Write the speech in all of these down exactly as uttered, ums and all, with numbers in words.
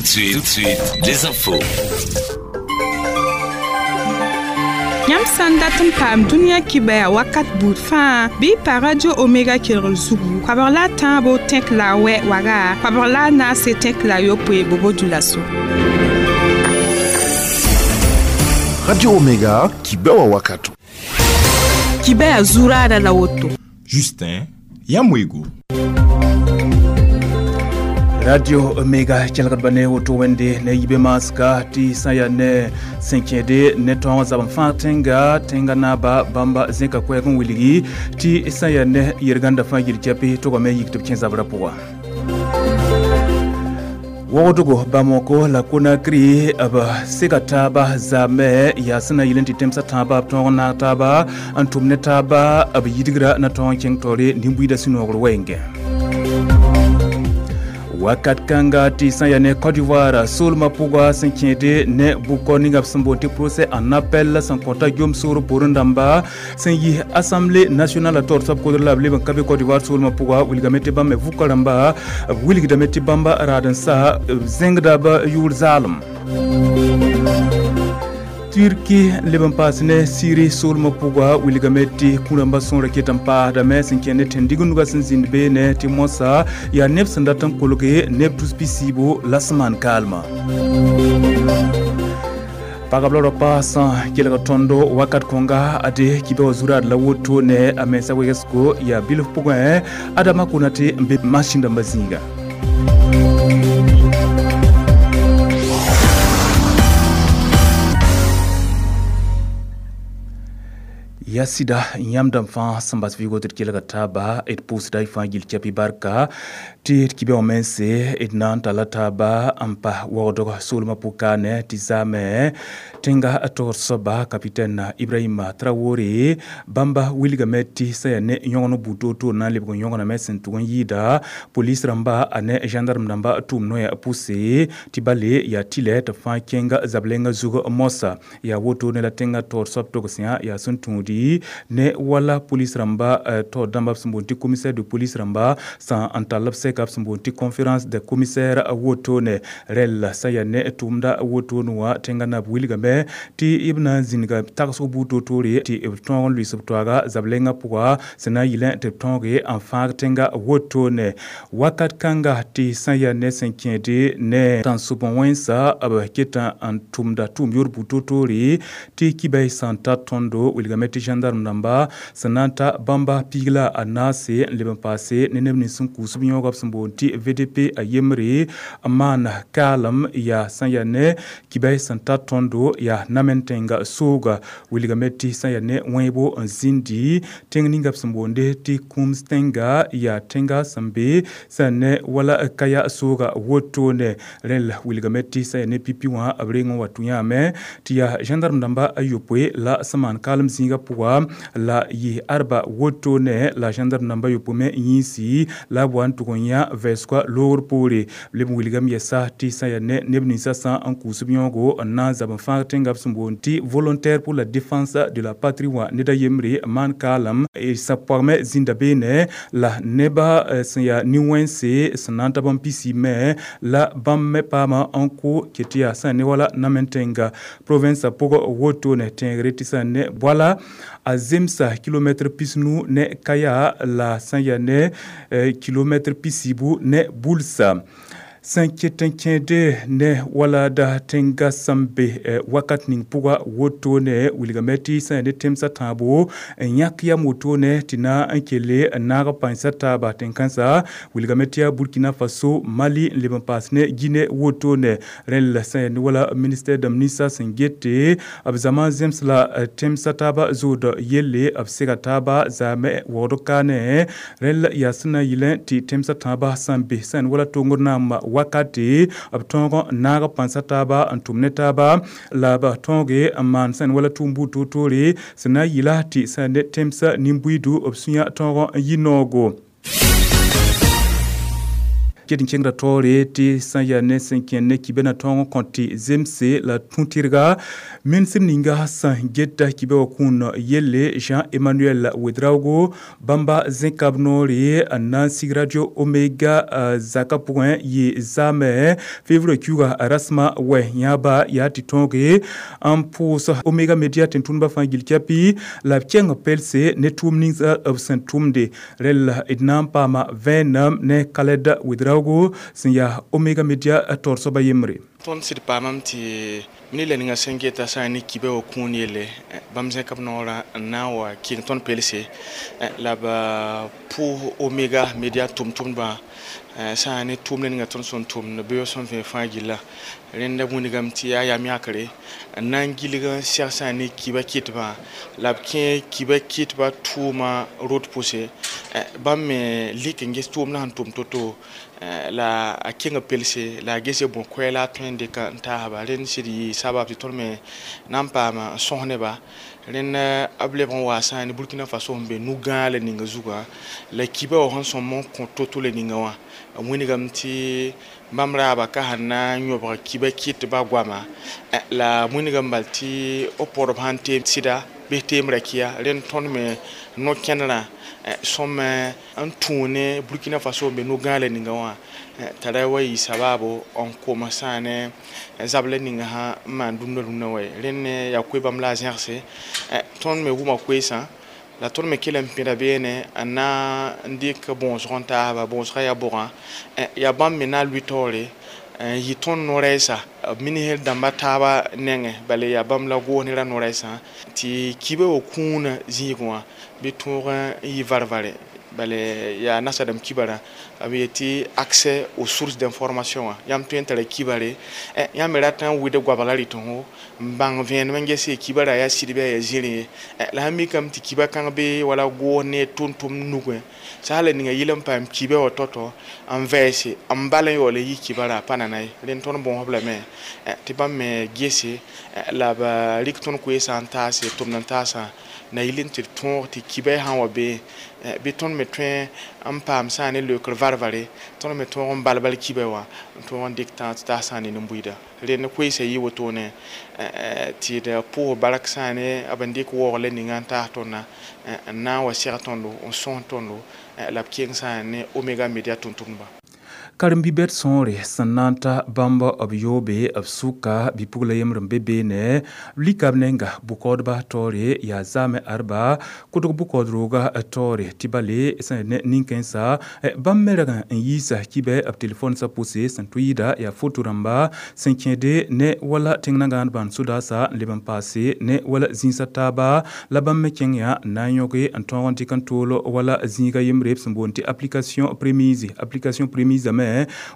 de suite, tout de suite, les infos. Yãmb sã n dat n paam dũniyã kibaya wakat buud fãa bɩ y pa Radio Omega kelgr zugu koabg la a tãabo tẽk la a wɛ waga koabg la a naase tẽk la a yopoe bobo dulaso. Radio Omega kibewa wakato. Kibaya zuraada la woto. Justin Yamwego. Radio Omega kelgd ba ne woto wẽnde ne yibe maska tɩ sã yaa ne sẽn kẽede ne tõog zab n fãag tẽnga tẽnga naaba bãmba zẽka koɛɛg n wilgi tɩ sã yaa ne yel-gãnda fãa yil kɛpɩ togame yik tɩ b kẽ zabrã pʋga. Wogdgo Bamako la Conakry b sega taaba zaame yaa sẽn na yɩl n tɩ tẽmsã tãabã b tõog n naag taaba n tʋm ne taaba b yidgra na tõog n kẽng taoore nin-buiidã sũ-noogr wɛɛngẽ. Wakat kãnga tɩ sã yaa ne Côte d'Ivoire soolmã pʋga sẽn kẽede ne bʋkɔ ninga b sẽn boond tɩ procès en appel sẽn kõta jom soor poorẽ dãmba sẽn yi Assemblée nationale taoor soab kodr la b leb n ka be Côte d'Ivoire soolmã pʋga wilgame tɩ bãmb me vʋka rãmba b wilgdame tɩ bãmba raad n sa b zẽngda b yʋʋr zaalem. Turki leb n paas ne Syrie soolmã pʋga wilgame tɩ kũ-rãmbã sõora ket n paasdame sẽn kẽ ne tẽn-dig-nugã sẽn zĩnd beene tɩ moasã yaa neb sẽn dat n kolge neb tus pisiibo la sẽn maan kaalmã. Pagb la raopa sã kelg tõndo wakat kõnga ade kibe wa zuraad la woto ne a mensa wegsgo yaa bilf pʋgẽ Adama Konate n be masĩn dãmbã zĩiga. Ya sɩda yãmb dãmb fãa sẽn bas vɩɩgo tɩ d kelga taaba d pʋʋsda y fãa gill kɛpɩ barka tɩ d kibã wã mense d na n talla taaba n pa waoodg soolmã pʋkaane tɩ zaame tẽnga togr soaba capitaine Ibrahima Traoré bãmba wilgame tɩ sã yaa ne yõgen buud to-to na n lebg n yõgename sẽn tʋg n yɩɩda police rãmba a ne gendarme rãmba tʋʋm noya pʋse tɩ bale yaa tɩlɛ tɩ fãa kẽnga zab-lenga zug moasã yaa woto ne la tẽnga taoor soab togsẽa yaa sẽn tũudi ne wala police rãmba taoor dãmba b sẽn boond tɩ commissaire de police rãmba sã n tall b sɛka b sẽn boond tɩ conférence de commissaire wotone rɛl sã yaa ne tʋʋmda wotone wã tẽnga naab wilgame tɩ b na n zĩnga tagsg buud to-toore tɩ b tõog n lʋɩs b toaaga zab-lengã pʋga sẽn na n yɩlẽ tɩ b tõoge n fãag tẽnga wotone wakat kãnga tɩ sã yaa ne sẽn kẽede ne tãnsʋb wẽnsa b ket n tʋmda tʋʋm yoor buud to-toore tɩ kibay sã n ta tõndo wilgame tɩ gendarme rãmba sẽn na n ta bãmba piig la a naase n leb n paase ne neb nins sẽn kuus b yõoga b sẽn boond tɩ V D P a yembre n maan kaalem yaa sã n yaa ne kibay sẽn ta tõndo yaa namen tẽnga sooga wilgame tɩ sã n yaa ne wẽebo n zĩndi tẽng ninga b sẽn boonde tɩ kũms tẽnga yaa tẽnga sẽn be sã n ne wala kaya sooga wotone rẽl wilgame tɩ sã n yaa ne pipi wã b reng n wa tũ yãame tɩ yaa gendarme dãmba a yopoe la sẽn maan kaalem zĩigã pʋga la yɩ arba wotone la gendarme dãmba yopoe me yĩnsi la b wa n tʋg n yã vɛɛsga loogr poore b leb n wilgame yɛsa tɩ sã yaa ne neb ninsã sã n kuus b yõogo n na n zab n fãag tẽnga b sẽn boond tɩ volontaire pour la défense de la patrie wã ned a yembre n maan kaalem sã pɔgme zĩnda beene la nebã sẽn yaa nin-wẽnse sẽn na n ta bãmb pisi me la bãmb me paama n kʋ ket tɩ yaa sã ne wala namen tẽnga province pʋgã wotone tẽegre tɩ sã ne boala a zemsa kilomɛtr pisnu ne kaya la sã n yaa ne kilomɛtr pisiibu ne bulsa. Sẽn ket n kẽede ne wala da tẽnga sẽn be wakat ning pʋga wotone wilgame tɩ sã yaa ne tẽmsã tãabo n yãk yam wotone tɩ na n kelle n naag pãensã taaba tẽn-kãensã wilgame tɩ yaa Burkina Faso Mali n leb n paas ne Guinée wotone rẽl sã yaa ne wala ministère dãmb ninsã sẽn gete b zãma zems la tẽmsã taaba zood yelle b sega taaba zaame waood kaane rẽl yaa sẽn na n yɩlẽ tɩ tẽmsã tãabã sã n be sã yaa ne wala tongr naam wakate b tõog n naag pãnsa taaba n tʋm ne taaba la b tõoge n maan sẽn wala tʋʋm buud to-toore sẽn na n yɩla tɩ sã ne tẽmsã nin-buiidu b sũyã tõog n yɩ noogo. Ket n kẽngda taoore tɩ sã n yaa ne sẽn kẽnd ne kibɛ na tõog n kõ tɩ zemse la tũ-tɩrga ministr ninga sẽn geta kibɛ wã kũun yelle Jean-Emmanuel Ouedraogo bãmba zẽkab noore n na n sig Radio Omega zaka pʋgẽ yɩ zaamẽ février kiuga rasmã wɛ yãaba yaa tɩ tõoge n pʋʋs Omega Media tẽn-tʋmdbã fãa gill kɛpɩ la b kẽng pelse ne tʋʋm ninsa b sẽn tʋmde rel d na n paama vẽenem ne Khaled Ouedraogo sẽn yaa Omega Media taoor soaba yembre. Tõnd sɩd paamame tɩ mini la ninga sẽn geta sã n ne kibã wã kũun yelle bãmb zẽk b noorã n na n wa kɩng tõnd pelse la b pʋʋs Omega Media tʋm-tʋmdbã sã n ne tʋʋmdã ninga tõnd sẽn tʋmd beoog sẽn vẽ fãa gilla rẽnda wĩnigame tɩ yaa yam yãkre n na n gilg n seg sã n ne kibã kɩtbã la b kẽ kibã kɩtbã tʋʋma rot pʋse bãmb me lik n ges tʋʋmdã sẽn tʋm to-to la a kẽng pelse la a gese bõ koɛɛla a tõe n dɩka n taasba rẽnd sɩd yɩ sabab tɩ tõnd me na n paama n sõs neba rẽnd b lebg n waa sã ne Burkina Faso sẽn be nu-gãalã ninga zugã la kibã wã sẽn sõm n kõ to-to la ninga wã wĩnigame tɩ bãmb raaba ka sẽn na n yõbg kibã kɩtbã goama la wĩnigame bal tɩ b pɔdb sãn teem sɩda bɩ teem rakia rẽnd tõnd me no-kẽnerã sõm n tũu ne Burkina Faso n be nu-gãalã ninga wã t'a ra wa yɩ sabaabo n koms sã ne zabla ninga sã n maan dũnna rũnnã wa ye rẽnd ne yaa koe bãmb la a zẽgse tõnd me wʋma koeesã la tõnd me kell n pẽda beene n na n dɩk bõosg n taasba bõosgã yaa bʋgã yaa bãmb me na n lʋɩ taoore n yɩ tõnd no-rɛɛsa b minisr dãmba taaba nengẽ bala yaa bãmb la goos nera no-rɛɛsã tɩ kibã wã kũunã zĩigẽ wã bɩ tõog n yɩ var-vare bala yaa nasadame kibarã b yetɩ accès aux sources d'information wã yãmb tõe n tara kibare yãmb me rat n wɩd goabga rɩtẽsgo n bãng vẽenem n ges kibara yaa sɩd bɩ yaa zĩrĩ ye la sãn mikame tɩ kiba kãng be wala goos ne tʋm-tʋmd nugẽ sã la ninga yɩl n paam kibã wã tɔ-tɔ n vɛɛse n bal n yaool n yi kibara a pa nana ye rẽnd tõnd bõosb lame tɩ bãmb me gese la b rɩk tõnd koeesã n taase tʋmd n taasã na yɩl n tɩ d tõog tɩ kibã sã n wa bee bɩ tõnd me tõe n paam sã ne leokr var-vare tõnd me tõog n bal-bal kibã wã n tõog n dɩk tãag tɩ taas sã ne nin-buiida rẽnd koeesã yɩ wotone tɩ d pʋʋs bark sã ne b n dɩk waoog la ninga n taas tõndã n na n wa seg tõndo n sõs tõndo la b keng sã ne Omega Media tʋm-tʋmdbã. Karen-bi-bɛd sõore sẽn na n ta bãmb b yoobe b sʋka bɩ-pugla yembr n be beene lika b nenga bʋ-kaoodba taoore yaa zaamẽ arba kʋdg bʋ-kaood-rooga taoore tɩ bale sẽn ne nin-kãensã bãmb me rag n yiisa kibɛ b telefonsã pʋse sẽn tʋ yɩɩda yaa foto rãmba sẽn kẽede ne wala tẽng nangãan bãnd sodaasã n leb n paase ne wala zĩisã taaba la bãmb me kẽng yaa n na n yõge n tõog n dɩk n tool wala zĩiga yembre b sẽn boond tɩ application prémise application prémise me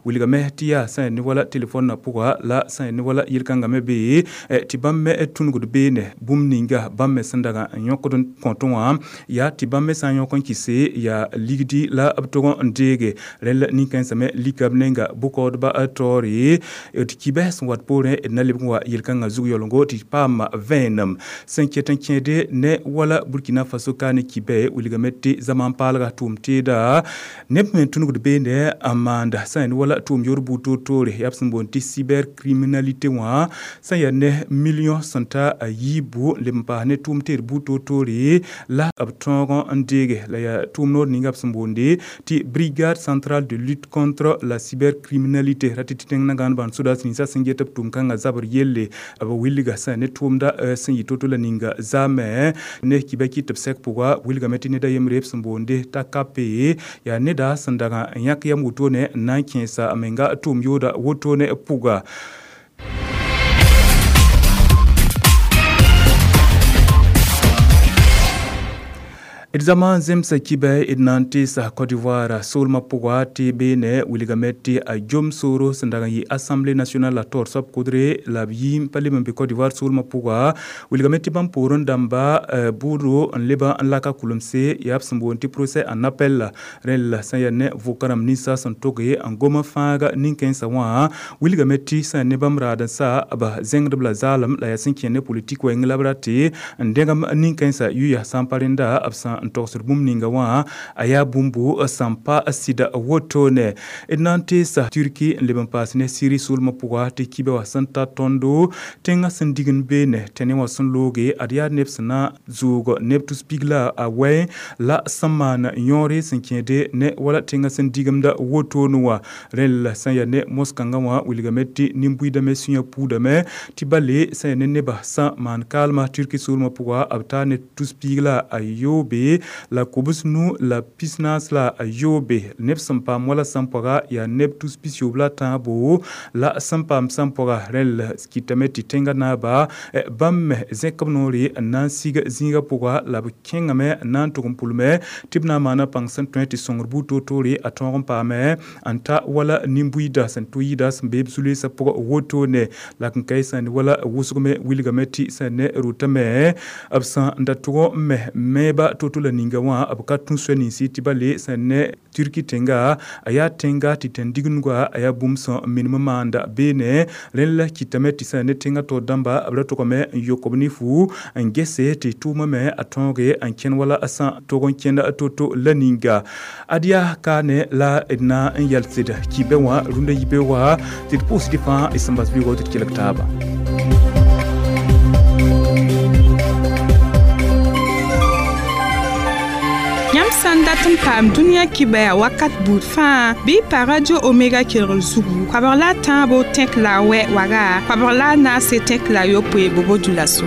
wilgame tɩ yaa sã ne wala telefonnã pʋga la sã ne wala yel-kãngã me bee tɩ bãmb me tũnugd beene bũmb ninga bãmb me sẽn dag n yõkd n kõtẽ wã yaa tɩ bãmb me sã n yõk n kɩse yaa ligdi la b tog n deege rẽnd la nin-kãensã me lika b nenga bʋ-kaoodbã taoore d kibɛ sẽn wat poorẽ d na lebg n wa yel-kãngã zug yaoolgo tɩ paam vẽenem sẽn ket n kẽede ne wala Burkina Faso ka ne kibɛ wilgame tɩ zaman paalga tʋʋm teeda neb me tũnugd beene n maanda sã n wala tʋʋm yor buud toor-toore yaa b sẽn boond tɩ cybercriminalité wã sã n yaa ne million sẽn ta a yiibu n leb n paas ne tʋʋm teed buud toor-toore la b tõog n deege la yaa tʋʋm noor ninga b sẽn boonde tɩ brigade centrale de lutte contre la cybercriminalité ra tɩ tɩ tẽng nangãan bãnd sodaas ninsã sẽn get b tʋʋm kãngã zabr yelle b wilga sã ne tʋʋmda sẽn yɩ to-to la ninga zaamẽ ne kibã kɩt b sɛk pʋga wilgame tɩ neda yembre b sẽn boonde t'a kape yaa neda sẽn dag n yãk yam wotone n na n kẽesa menga tʋʋm yooda wotone pʋga. D zama n zemsa kibɛ d na n teesa Côte d'Ivoire soolmã pʋga tɩ beene wilgame tɩ a jom sooro sẽn dag n yɩ Assemblée nationale la taoor soab kʋdre la b yɩ n pa leb n be Côte d'Ivoire soolmã pʋga wilgame tɩ bãmb poorẽ dãmba bʋʋdo n leba n laka kulemse yaa b sẽn boond tɩ procès en appel rẽnd la sã n yaa ne vʋka rãmb ninsã sẽn toge n gom n fãaga nin-kãensã wã wilgame tɩ sã n ne bãmb raad n sa b zẽngdb la zaalem la yaa sẽn kẽ ne politik wɛng la b ra tɩ n dẽgem nin-kãensã yʋya sã n pa rẽnda b sẽn na n togsd bũmb ninga wã a yaa bũmbu sẽn pa sɩda wotone. D na n teesa Turki n leb n paas ne Siri soolmã pʋga tɩ kibe wã sẽn ta tõndo tẽngã sẽn dig n beene tẽne wã sẽn looge ad yaa neb sẽn na zʋʋg neb tus pig la a wɛ la sẽn maan yõore sẽn kẽede ne wala tẽngã sẽn digemda wotone wã. Rẽnd la sẽn yaa ne mos-kãngã wã wilgame tɩ nin-buiidame sũyã puudame tɩ bale sẽn yaa ne nebã sã maan kaalmã Turki soolmã pʋga b taa ne tus piig la a yoobe la kobs nu la pis-naas la a yoobe. Neb sẽn paam wala sẽn pɔga yaa neb tus pis-yoob la tãabo la sẽn paam sẽn pɔga. Rẽnd la kɩtame tɩ tẽngã naaba bãmb me zẽk b noore n na n sig zĩigã pʋga la b kẽngame n na n tʋg n pʋlme tɩ b na n maana pãng sẽn tõe tɩ sõngr buud toor-toore a tõog n paame n ta wala nin-buiida sẽn tʋ-yɩɩda sẽn be b zu-loeesã pʋgã wotone. La n ka sẽn wala wʋsgme wilgame tɩ sẽn ne rotame b sẽn da tʋg n me mɛɛba to-to la ninga wã b ka tũ soa ninsi tɩ ba le sẽn ne Turki tẽnga a yaa tẽnga tɩ tẽn-digengã a yaa bũmb sẽn minim n maanda beene. Rẽnd la kɩtame tɩ sẽn ne tẽngã taoor dãmba b ra tʋgame n yok b ne fu n gese tɩ tʋʋmã me a tõoge n kẽn wala sã tog n kẽnd to-to la ninga. Ad yaa kaane la d na n yɛlsd kibe wã rũndã yibe wã tɩ d pʋʋsd fãa d sẽn bas vɩɩgɔ tɩ d kelg taaba. Yãmb sã n dat n paam dũniyã kibɛa wakat buud fãa bɩ y pa Radio Omega kelgr zugu koabg la a tãabo tẽk la a wɛ waga koabg la a naase tẽk la a yopoe bobo-dulaso.